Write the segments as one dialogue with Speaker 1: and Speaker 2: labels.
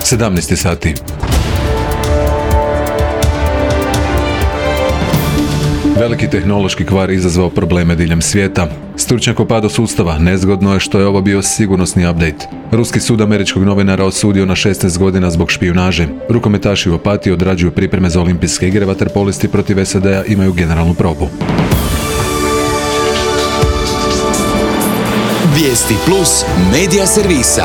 Speaker 1: 17 sati. Veliki tehnološki kvar izazvao probleme diljem svijeta. Stručnjak o padu sustava, nezgodno je što je ovo bio sigurnosni update. Ruski sud američkog novinara osudio na 16 godina zbog špijunaže. Rukometaši u Opatiji odrađuju pripreme za olimpijske igre, vaterpolisti protiv SAD-a imaju generalnu probu.
Speaker 2: Vijesti plus medija servisa.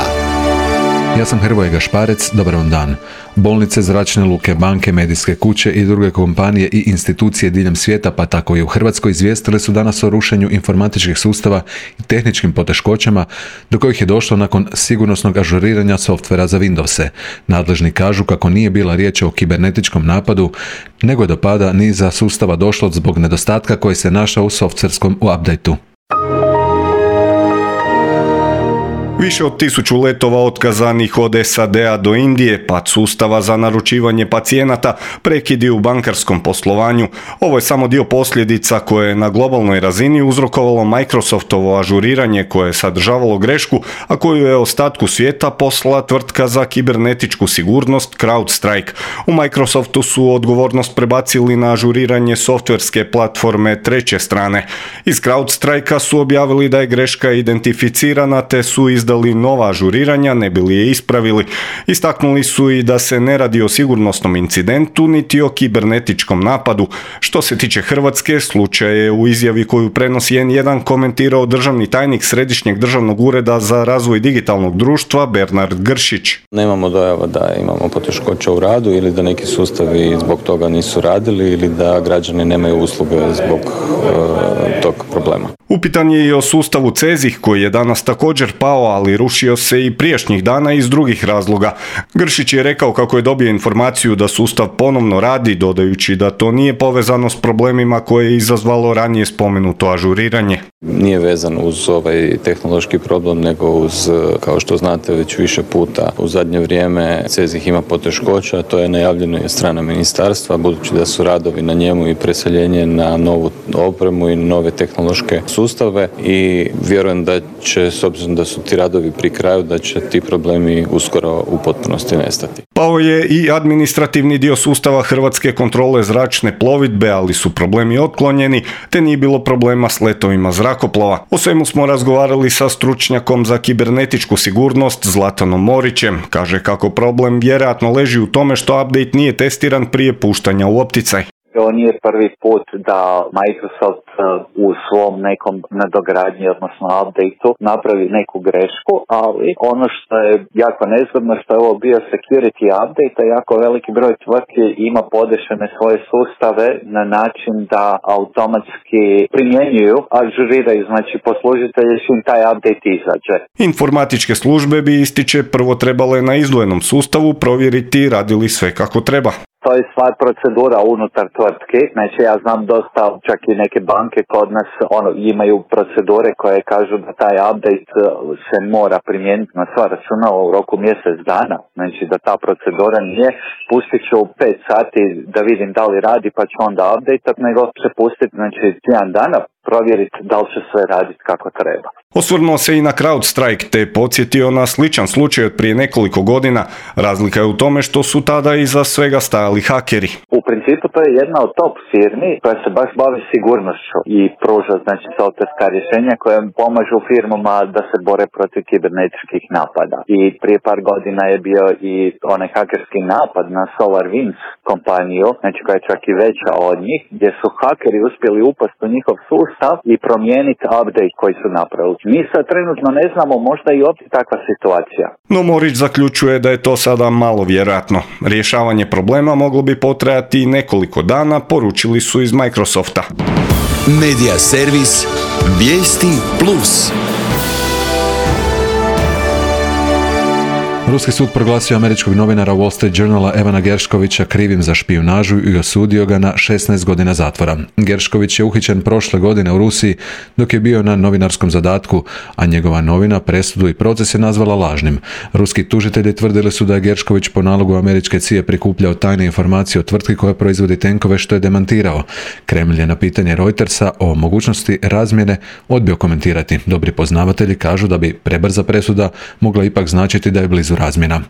Speaker 1: Ja sam Hrvoje Gašparec, dobar vam dan. Bolnice, zračne luke, banke, medijske kuće i druge kompanije i institucije diljem svijeta, pa tako i u Hrvatskoj, izvijestile su danas o rušenju informatičkih sustava i tehničkim poteškoćama do kojih je došlo nakon sigurnosnog ažuriranja softvera za Windowse. Nadležni kažu kako nije bila riječ o kibernetičkom napadu, nego je do pada niza sustava došlo zbog nedostatka koji se našao u softverskom updateu.
Speaker 3: Više od 1000 letova otkazanih od SAD-a do Indije, pad sustava za naručivanje pacijenata, prekidi u bankarskom poslovanju. Ovo je samo dio posljedica koje je na globalnoj razini uzrokovalo Microsoftovo ažuriranje koje je sadržavalo grešku, a koju je ostatku svijeta poslala tvrtka za kibernetičku sigurnost CrowdStrike. U Microsoftu su odgovornost prebacili na ažuriranje softverske platforme treće strane. Iz CrowdStrike-a su objavili da je greška identificirana te su izdali nova ažuriranja, ne bi li je ispravili. Istaknuli su i da se ne radi o sigurnosnom incidentu niti o kibernetičkom napadu. Što se tiče Hrvatske, slučaj je u izjavi koju prenosi N1 komentirao državni tajnik Središnjeg državnog ureda za razvoj digitalnog društva Bernard Gršić.
Speaker 4: Nemamo dojava da imamo poteškoća u radu ili da neki sustavi zbog toga nisu radili ili da građani nemaju usluge zbog tog problema.
Speaker 3: Upitan je i o sustavu CEZIH koji je danas također pao, ali rušio se i prijašnjih dana iz drugih razloga. Gršić je rekao kako je dobio informaciju da sustav ponovno radi, dodajući da to nije povezano s problemima koje je izazvalo ranije spomenuto ažuriranje.
Speaker 4: Nije vezan uz ovaj tehnološki problem, nego uz, kao što znate već više puta, u zadnje vrijeme CEZIH ima poteškoća, to je najavljeno i od strane ministarstva, budući da su radovi na njemu i preseljenje na novu opremu i nove tehnološke sustave i vjerujem da će, s obzirom da su ti radovi pri kraju, da će ti problemi uskoro u potpunosti nestati.
Speaker 3: Pao je i administrativni dio sustava Hrvatske kontrole zračne plovidbe, ali su problemi otklonjeni, te nije bilo problema s letovima zrakoplova. O svemu smo razgovarali sa stručnjakom za kibernetičku sigurnost Zlatanom Morićem. Kaže kako problem vjerojatno leži u tome što update nije testiran prije puštanja u opticaj.
Speaker 5: Ovo nije prvi put da Microsoft u svom nekom nadogradnji, odnosno updateu, napravi neku grešku, ali ono što je jako nezgodno što je ovo bio security update, a jako veliki broj tvrtki ima podešene svoje sustave na način da automatski primjenjuju, ažuriraju, znači poslužitelji čim taj update izađe.
Speaker 3: Informatičke službe bi, ističe, prvo trebale na izdvojenom sustavu provjeriti radi li sve kako treba.
Speaker 5: To je stvar procedura unutar tvrtki, znači ja znam dosta, čak i neke banke kod nas imaju procedure koje kažu da taj update se mora primijeniti na sva računa u roku mjesec dana, znači da ta procedura nije pustit ću 5 sati da vidim da li radi pa ću onda update, nego će pustiti znači tjedan dana provjeriti da li će sve raditi kako treba.
Speaker 3: Osvrnuo se i na CrowdStrike te podsjetio na sličan slučaj od prije nekoliko godina. Razlika je u tome što su tada iza svega stajali hakeri.
Speaker 5: U principu to je jedna od top firmi koja se baš bavi sigurnošću i pruža znači softverska rješenja koja pomažu firmama da se bore protiv kibernetičkih napada. I prije par godina je bio i onaj hakerski napad na SolarWinds kompaniju, znači koja je čak i veća od njih, gdje su hakeri uspjeli upasti u njihov sustav i promijeniti update koji su napravili. Mi sad trenutno ne znamo, možda i opet takva situacija.
Speaker 3: No Morić zaključuje da je to sada malo vjerojatno. Rješavanje problema moglo bi potrajati nekoliko dana, poručili su iz Microsofta.
Speaker 2: Medija servis Vijesti plus.
Speaker 1: Ruski sud proglasio američkog novinara Wall Street Journala Evana Gershkovića krivim za špijunažu i osudio ga na 16 godina zatvora. Gershković je uhićen prošle godine u Rusiji dok je bio na novinarskom zadatku, a njegova novina presudu i proces je nazvala lažnim. Ruski tužitelji tvrdili su da je Gershković po nalogu američke CIA prikupljao tajne informacije o tvrtki koja proizvodi tenkove, što je demantirao. Kremlj je na pitanje Reutersa o mogućnosti razmjene odbio komentirati. Dobri poznavatelji kažu da bi prebrza presuda mogla ipak značiti da je blizu razmjena.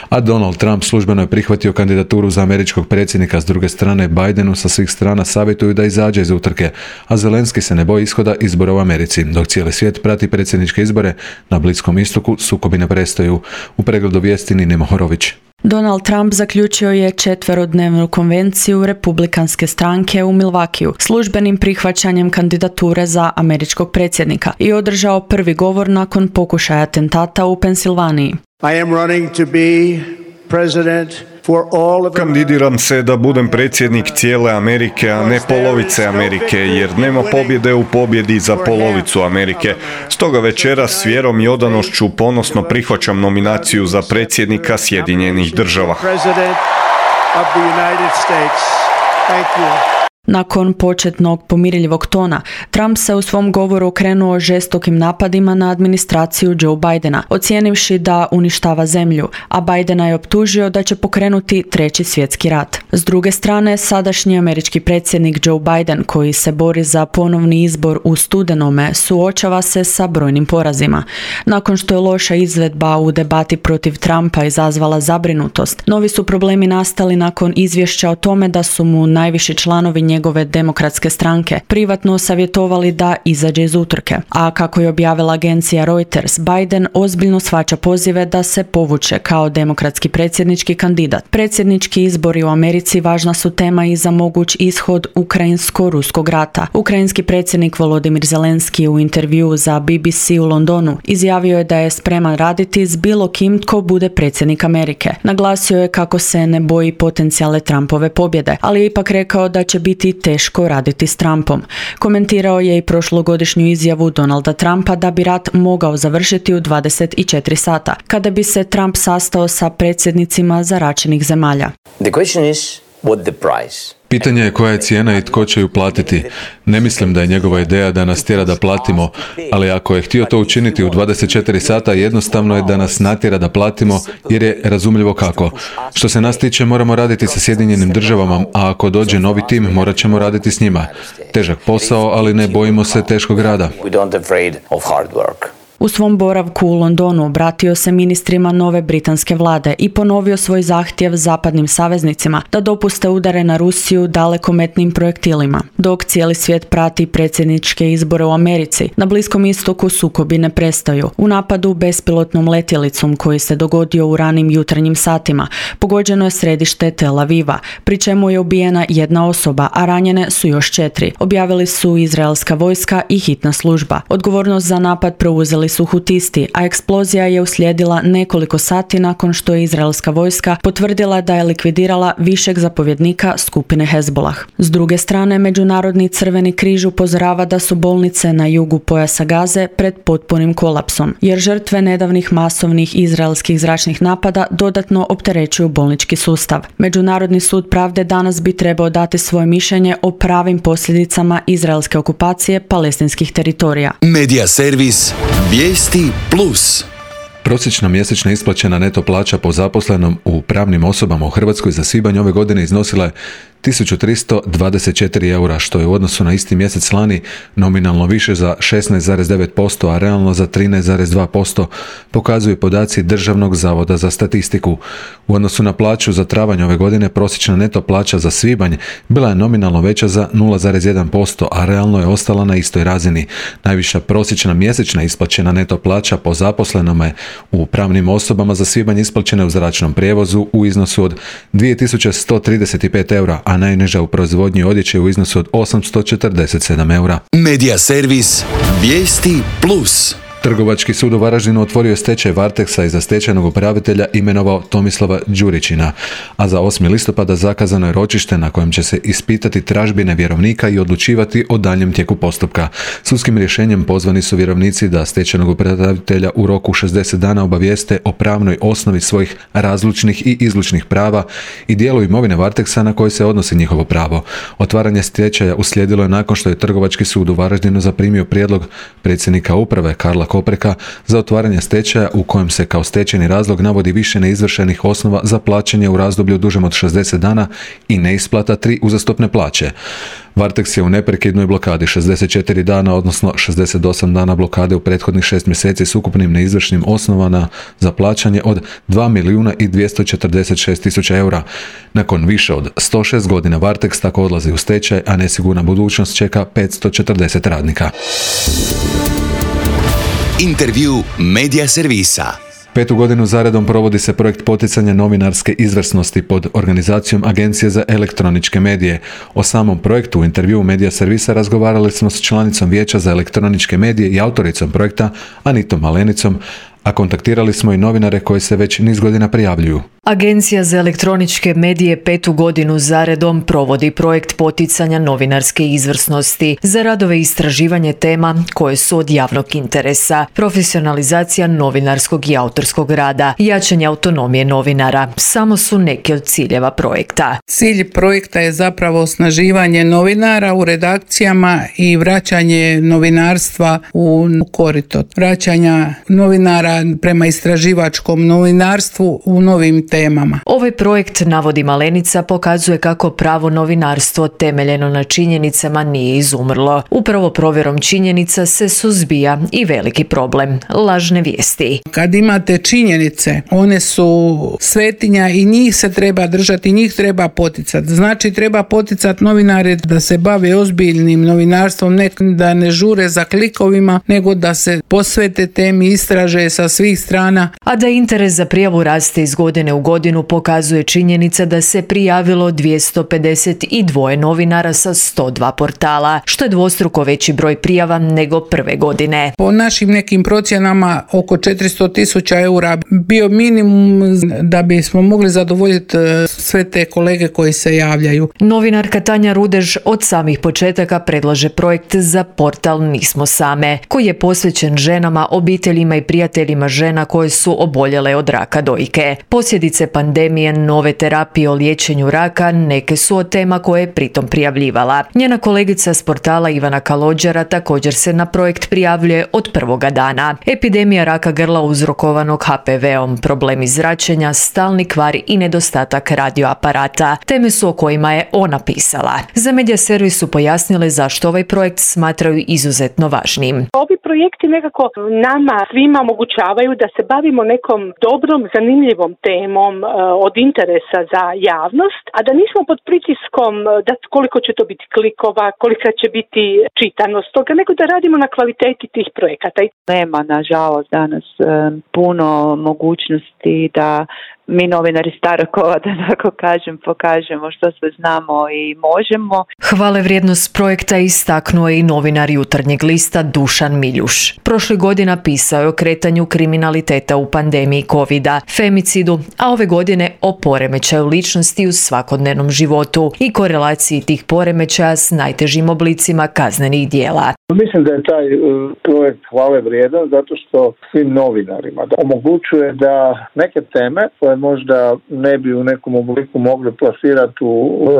Speaker 1: A Donald Trump službeno je prihvatio kandidaturu za američkog predsjednika. S druge strane, Bidenu sa svih strana savjetuju da izađe iz utrke, a Zelenski se ne boji ishoda izbora u Americi. Dok cijeli svijet prati predsjedničke izbore, na Bliskom istoku sukobi ne prestaju. U pregledu vijesti Nina Mohorović.
Speaker 6: Donald Trump zaključio je 4-dnevnu konvenciju republikanske stranke u Milwaukeeu službenim prihvaćanjem kandidature za američkog predsjednika i održao prvi govor nakon pokušaja atentata u Pensilvaniji.
Speaker 7: I am running to be president for all of
Speaker 3: Kandidiram se da budem predsjednik cijele Amerike, a ne polovice Amerike, jer nema pobjede u pobjedi za polovicu Amerike. Stoga večeras s vjerom i odanošću ponosno prihvaćam nominaciju za predsjednika Sjedinjenih Država.
Speaker 6: Nakon početnog pomirljivog tona, Trump se u svom govoru okrenuo žestokim napadima na administraciju Joe Bidena, ocijenivši da uništava zemlju, a Bidena je optužio da će pokrenuti treći svjetski rat. S druge strane, sadašnji američki predsjednik Joe Biden, koji se bori za ponovni izbor u studenome, suočava se sa brojnim porazima. Nakon što je loša izvedba u debati protiv Trumpa izazvala zabrinutost, novi su problemi nastali nakon izvješća o tome da su mu najviši članovi njegove demokratske stranke privatno savjetovali da izađe iz utrke. A kako je objavila agencija Reuters, Biden ozbiljno shvaća pozive da se povuče kao demokratski predsjednički kandidat. Predsjednički izbori u Americi važna su tema i za moguć ishod ukrajinsko-ruskog rata. Ukrajinski predsjednik Volodymyr Zelenski u intervjuu za BBC u Londonu izjavio je da je spreman raditi s bilo kim tko bude predsjednik Amerike. Naglasio je kako se ne boji potencijalne Trumpove pobjede, ali je ipak rekao da će biti teško raditi s Trumpom. Komentirao je i prošlogodišnju izjavu Donalda Trumpa da bi rat mogao završiti u 24 sata, kada bi se Trump sastao sa predsjednicima zaračenih zemalja.
Speaker 8: The question is what the price.
Speaker 1: Pitanje je koja je cijena i tko će ju platiti. Ne mislim da je njegova ideja da nas tjera da platimo, ali ako je htio to učiniti u 24 sata, jednostavno je da nas natjera da platimo, jer je razumljivo kako. Što se nas tiče, moramo raditi sa Sjedinjenim Državama, a ako dođe novi tim, morat ćemo raditi s njima. Težak posao, ali ne bojimo se teškog rada.
Speaker 6: U svom boravku u Londonu obratio se ministrima nove britanske vlade i ponovio svoj zahtjev zapadnim saveznicima da dopuste udare na Rusiju dalekometnim projektilima. Dok cijeli svijet prati predsjedničke izbore u Americi, na Bliskom istoku sukobi ne prestaju. U napadu bespilotnom letjelicom koji se dogodio u ranim jutarnjim satima pogođeno je središte Tel Aviva, pri čemu je ubijena jedna osoba, a ranjene su još 4. Objavili su izraelska vojska i hitna služba. Odgovornost za napad preuzeli su Hutisti, a eksplozija je uslijedila nekoliko sati nakon što je izraelska vojska potvrdila da je likvidirala višeg zapovjednika skupine Hezbollah. S druge strane, Međunarodni Crveni križ upozorava da su bolnice na jugu pojasa Gaze pred potpunim kolapsom, jer žrtve nedavnih masovnih izraelskih zračnih napada dodatno opterećuju bolnički sustav. Međunarodni sud pravde danas bi trebao dati svoje mišljenje o pravim posljedicama izraelske okupacije palestinskih teritorija.
Speaker 2: Medija servis Vijesti Plus.
Speaker 1: Prosječna mjesečna isplaćena neto plaća po zaposlenom u pravnim osobama u Hrvatskoj za svibanj ove godine iznosila je 1324 eura, što je u odnosu na isti mjesec lani nominalno više za 16,9%, a realno za 13,2%, pokazuju podaci Državnog zavoda za statistiku. U odnosu na plaću za travanj ove godine prosječna neto plaća za svibanj bila je nominalno veća za 0,1%, a realno je ostala na istoj razini. Najviša prosječna mjesečna isplaćena neto plaća po zaposlenome u pravnim osobama za svibanj isplaćena je u zračnom prijevozu u iznosu od 2135 eura, a najniža u proizvodnji odjeće u iznosu od 847 eura.
Speaker 2: Medija servis Vijesti Plus.
Speaker 1: Trgovački sud u Varaždinu otvorio je stečaj Varteksa i za stečajnog upravitelja imenovao Tomislava Đurićina, a za 8. listopada zakazano je ročište na kojem će se ispitati tražbine vjerovnika i odlučivati o daljem tijeku postupka. Sudskim rješenjem pozvani su vjerovnici da stečajnog upravitelja u roku 60 dana obavijeste o pravnoj osnovi svojih razlučnih i izlučnih prava i dijelu imovine Varteksa na koje se odnosi njihovo pravo. Otvaranje stečaja uslijedilo je nakon što je Trgovački sud u Varaždinu zaprimio prijedlog predsjednika uprave Karla opreka za otvaranje stečaja u kojem se kao stečajni razlog navodi više neizvršenih osnova za plaćanje u razdoblju dužem od 60 dana i neisplata 3 uzastopne plaće. Varteks je u neprekidnoj blokadi 64 dana, odnosno 68 dana blokade u prethodnih 6 mjeseci s ukupnim neizvršnim osnovama za plaćanje od 2.246.000 eura. Nakon više od 106 godina Varteks tako odlazi u stečaj, a nesigurna budućnost čeka 540 radnika.
Speaker 2: Intervju Medija servisa.
Speaker 1: 5. godinu zaredom provodi se projekt poticanja novinarske izvrsnosti pod organizacijom Agencije za elektroničke medije. O samom projektu u intervjuu Medija servisa razgovarali smo s članicom Vijeća za elektroničke medije i autoricom projekta Anitom Malenicom, a kontaktirali smo i novinare koji se već niz godina prijavljuju.
Speaker 9: Agencija za elektroničke medije 5. godinu zaredom provodi projekt poticanja novinarske izvrsnosti za radove i istraživanje tema koje su od javnog interesa, profesionalizacija novinarskog i autorskog rada, jačanje autonomije novinara. Samo su neki od ciljeva projekta.
Speaker 10: Cilj projekta je zapravo osnaživanje novinara u redakcijama i vraćanje novinarstva u korito. Vraćanja novinara prema istraživačkom novinarstvu u novim temama.
Speaker 9: Ovaj projekt, navodi Malenica, pokazuje kako pravo novinarstvo temeljeno na činjenicama nije izumrlo. Upravo provjerom činjenica se suzbija i veliki problem – lažne vijesti.
Speaker 10: Kad imate činjenice, one su svetinja i njih se treba držati, njih treba poticati. Znači treba poticati novinare da se bave ozbiljnim novinarstvom, ne da ne žure za klikovima, nego da se posvete temi, istraže sa svih strana.
Speaker 9: A da interes za prijavu raste iz godine u godinu pokazuje činjenica da se prijavilo 252 novinara sa 102 portala, što je dvostruko veći broj prijava nego prve godine.
Speaker 10: Po našim nekim procjenama oko 400.000 eura bio minimum da bismo mogli zadovoljiti sve te kolege koji se javljaju.
Speaker 9: Novinarka Tanja Rudež od samih početaka predlaže projekt za portal Nismo same, koji je posvećen ženama, obiteljima i prijateljima žena koje su oboljele od raka dojke. Posljedice pandemije, nove terapije o liječenju raka neke su od tema koje je pritom prijavljivala. Njena kolegica s portala Ivana Kalođera također se na projekt prijavljuje od prvoga dana. Epidemija raka grla uzrokovanog HPV-om, problemi zračenja, stalni kvar i nedostatak radioaparata. Teme su o kojima je ona pisala. Za Medija servis su pojasnile zašto ovaj projekt smatraju izuzetno važnim.
Speaker 11: Ovi projekti nekako nama svima omogućavaju da se bavimo nekom dobrom, zanimljivom temom od interesa za javnost, a da nismo pod pritiskom da koliko će to biti klikova, kolika će biti čitanost toga, nego da radimo na kvaliteti tih projekata.
Speaker 12: Nema, nažalost, danas puno mogućnosti da mi novinari starog kova, da tako kažem, pokažemo što sve znamo i možemo.
Speaker 9: Hvale vrijednost projekta istaknuo je i novinar Jutarnjeg lista Dušan Miljuš. Prošle godina pisao je o kretanju kriminaliteta u pandemiji covida, femicidu, a ove godine o poremećaju ličnosti u svakodnevnom životu i korelaciji tih poremećaja s najtežim oblicima kaznenih dijela.
Speaker 13: Mislim da je taj projekt hvale vrijedan zato što svim novinarima omogućuje da neke teme koje možda ne bi u nekom obliku mogli plasirati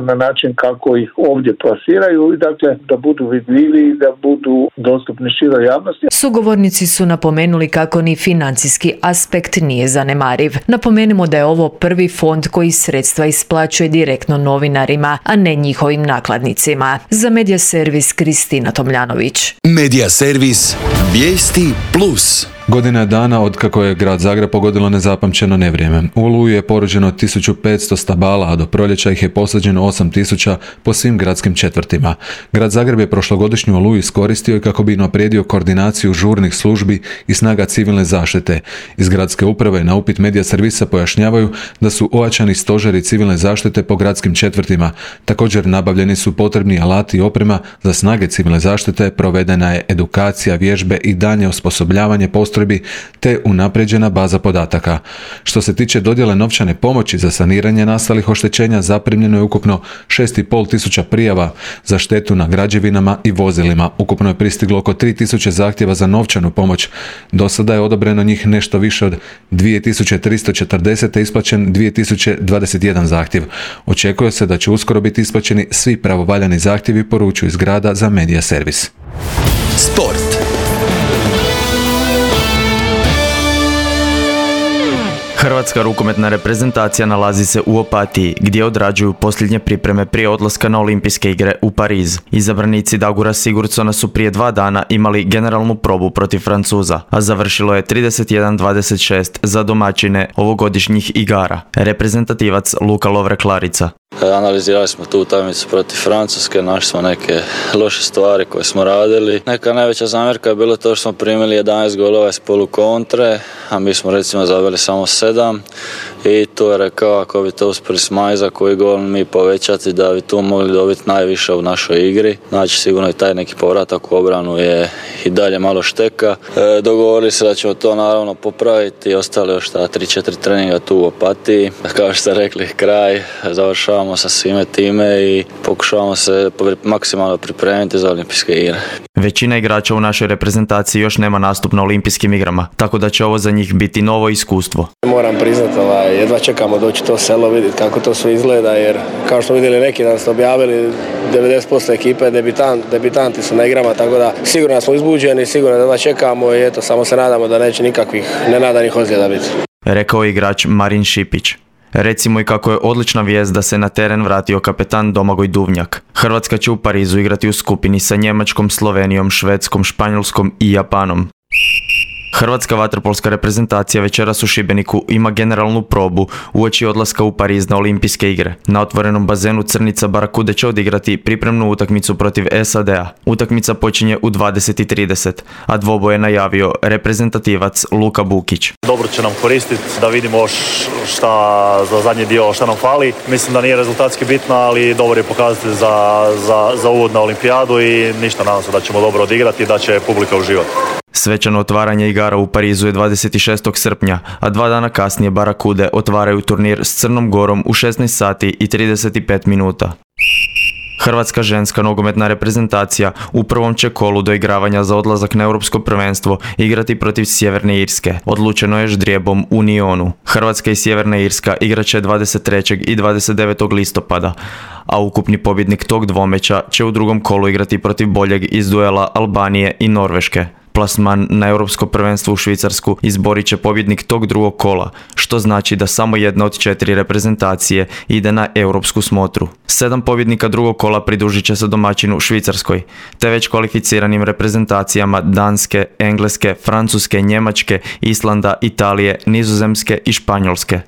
Speaker 13: na način kako ih ovdje plasiraju i dakle da budu vidljivi i da budu dostupni široj javnosti.
Speaker 9: Sugovornici su napomenuli kako ni financijski aspekt nije zanemariv. Napomenimo da je ovo prvi fond koji sredstva isplaćuje direktno novinarima, a ne njihovim nakladnicima. Za Medija servis Kristina Tomljanović.
Speaker 2: Medija servis Vijesti Plus.
Speaker 1: Godina je dana od kako je grad Zagreb pogodilo nezapamćeno nevrijeme. U Oluju je poruđeno 1500 stabala, a do proljeća ih je posađeno 8000 po svim gradskim četvrtima. Grad Zagreb je prošlogodišnju Oluju iskoristio i kako bi unaprijedio koordinaciju žurnih službi i snaga civilne zaštite. Iz gradske uprave na upit Medija servisa pojašnjavaju da su ojačani stožeri civilne zaštite po gradskim četvrtima. Također nabavljeni su potrebni alati i oprema za snage civilne zaštite, provedena je edukacija, vježbe i daljnje osposobljavanje postrojbi te unaprijeđena baza podataka. Što se tiče dodjele novčane pomoći za saniranje nastalih oštećenja, zaprimljeno je ukupno 6500 prijava za štetu na građevinama i vozilima. Ukupno je pristiglo oko 3000 zahtjeva za novčanu pomoć. Do sada je odobreno njih nešto više od 2340 te isplaćen 2021 zahtjev. Očekuje se da će uskoro biti isplaćeni svi pravovaljani zahtjevi, poručuju iz grada za Medija servis.
Speaker 2: Sport.
Speaker 14: Hrvatska rukometna reprezentacija nalazi se u Opatiji, gdje odrađuju posljednje pripreme prije odlaska na Olimpijske igre u Pariz. Izabranici Dagura Sigurdsona su prije 2 dana imali generalnu probu protiv Francuza, a završilo je 31-26 za domaćine ovogodišnjih igara. Reprezentativac Luka Lovre-Klarica.
Speaker 15: Analizirali smo tu utakmicu protiv Francuske, našli smo neke loše stvari koje smo radili. Neka najveća zamjerka je bilo to što smo primili 11 golova iz polukontre, a mi smo recimo zabili samo 7. I tu je rekao ako bi to uspjeli smanjiti za koji gol mi povećati da bi tu mogli dobiti najviše u našoj igri. Znači sigurno i taj neki povratak u obranu je i dalje malo šteka. Dogovorili se da ćemo to naravno popraviti i ostali još 3-4 treninga tu u Opatiji. Kao što ste rekli, kraj, završavamo sa svime time i pokušavamo se maksimalno pripremiti za Olimpijske igre.
Speaker 14: Većina igrača u našoj reprezentaciji još nema nastup na Olimpijskim igrama, tako da će ovo za njih biti novo iskustvo.
Speaker 16: Moram priznati, jedva čekamo doći to selo, vidjeti kako to sve izgleda, jer kao što vidjeli neki dan ste objavili, 90% ekipe debitanti su na igrama, tako da sigurno smo izbuđeni, sigurno da čekamo i eto, samo se nadamo da neće nikakvih nenadanih ozljeda biti.
Speaker 14: Rekao je igrač Marin Šipić. Recimo i kako je odlična vijest da se na teren vratio kapetan Domagoj Duvnjak. Hrvatska će u Parizu igrati u skupini sa Njemačkom, Slovenijom, Švedskom, Španjolskom i Japanom. Hrvatska vaterpolska reprezentacija večeras u Šibeniku ima generalnu probu uoči odlaska u Pariz na Olimpijske igre. Na otvorenom bazenu Crnica Barakude će odigrati pripremnu utakmicu protiv SAD-a. Utakmica počinje u 20:30, a dvoboj je najavio reprezentativac Luka Bukić.
Speaker 17: Dobro će nam koristiti da vidimo šta za zadnji dio šta nam fali. Mislim da nije rezultatski bitno, ali dobro je pokazati za uvod na olimpijadu i ništa, nadam se da ćemo dobro odigrati i da će publika uživati.
Speaker 14: Svečano otvaranje igara u Parizu je 26. srpnja, a 2 dana kasnije Barakude otvaraju turnir s Crnom Gorom u 16 sati i 35 minuta. Hrvatska ženska nogometna reprezentacija u prvom će kolu doigravanja za odlazak na Europsko prvenstvo igrati protiv Sjeverne Irske. Odlučeno je ždrijebom u Nionu. Hrvatska i Sjeverna Irska igraće 23. i 29. listopada, a ukupni pobjednik tog dvomeća će u drugom kolu igrati protiv boljeg iz duela Albanije i Norveške. Plasman na Europsko prvenstvo u Švicarsku izborit će pobjednik tog drugog kola, što znači da samo jedna od 4 reprezentacije ide na europsku smotru. 7 pobjednika drugog kola pridružit će se domaćinu Švicarskoj, te već kvalificiranim reprezentacijama Danske, Engleske, Francuske, Njemačke, Islanda, Italije, Nizozemske i Španjolske.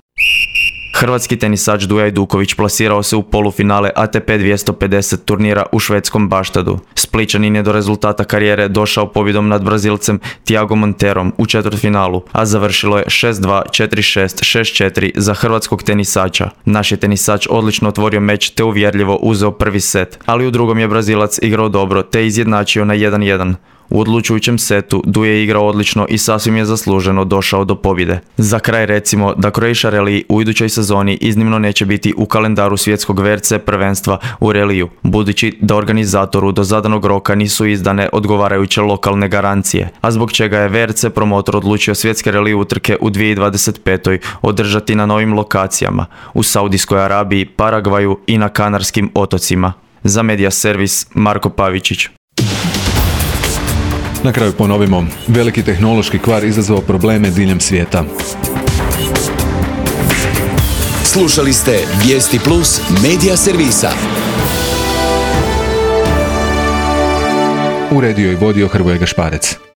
Speaker 14: Hrvatski tenisač Duja Ajduković plasirao se u polufinale ATP 250 turnira u švedskom Baštadu. Splićanin je do rezultata karijere došao pobjedom nad Brazilcem Thiago Monterom u četvrtfinalu, a završilo je 6-2, 4-6, 6-4 za hrvatskog tenisača. Naš je tenisač odlično otvorio meč te uvjerljivo uzeo prvi set, ali u drugom je Brazilac igrao dobro te izjednačio na 1-1. U odlučujućem setu Duje je igrao odlično i sasvim je zasluženo došao do pobjede. Za kraj recimo da Croatia Rally u idućoj sezoni iznimno neće biti u kalendaru svjetskog VRC prvenstva u reliju, budući da organizatoru do zadanog roka nisu izdane odgovarajuće lokalne garancije, a zbog čega je VRC promotor odlučio svjetske relije utrke u 2025. održati na novim lokacijama u Saudijskoj Arabiji, Paragvaju i na Kanarskim otocima. Za Media Servis Marko Pavičić.
Speaker 1: Na kraju ponovimo, veliki tehnološki kvar izazvao probleme diljem svijeta.
Speaker 2: Slušali ste Vijesti Plus Media Servisa.
Speaker 1: Uredio i vodio Hrvoje Gašparec.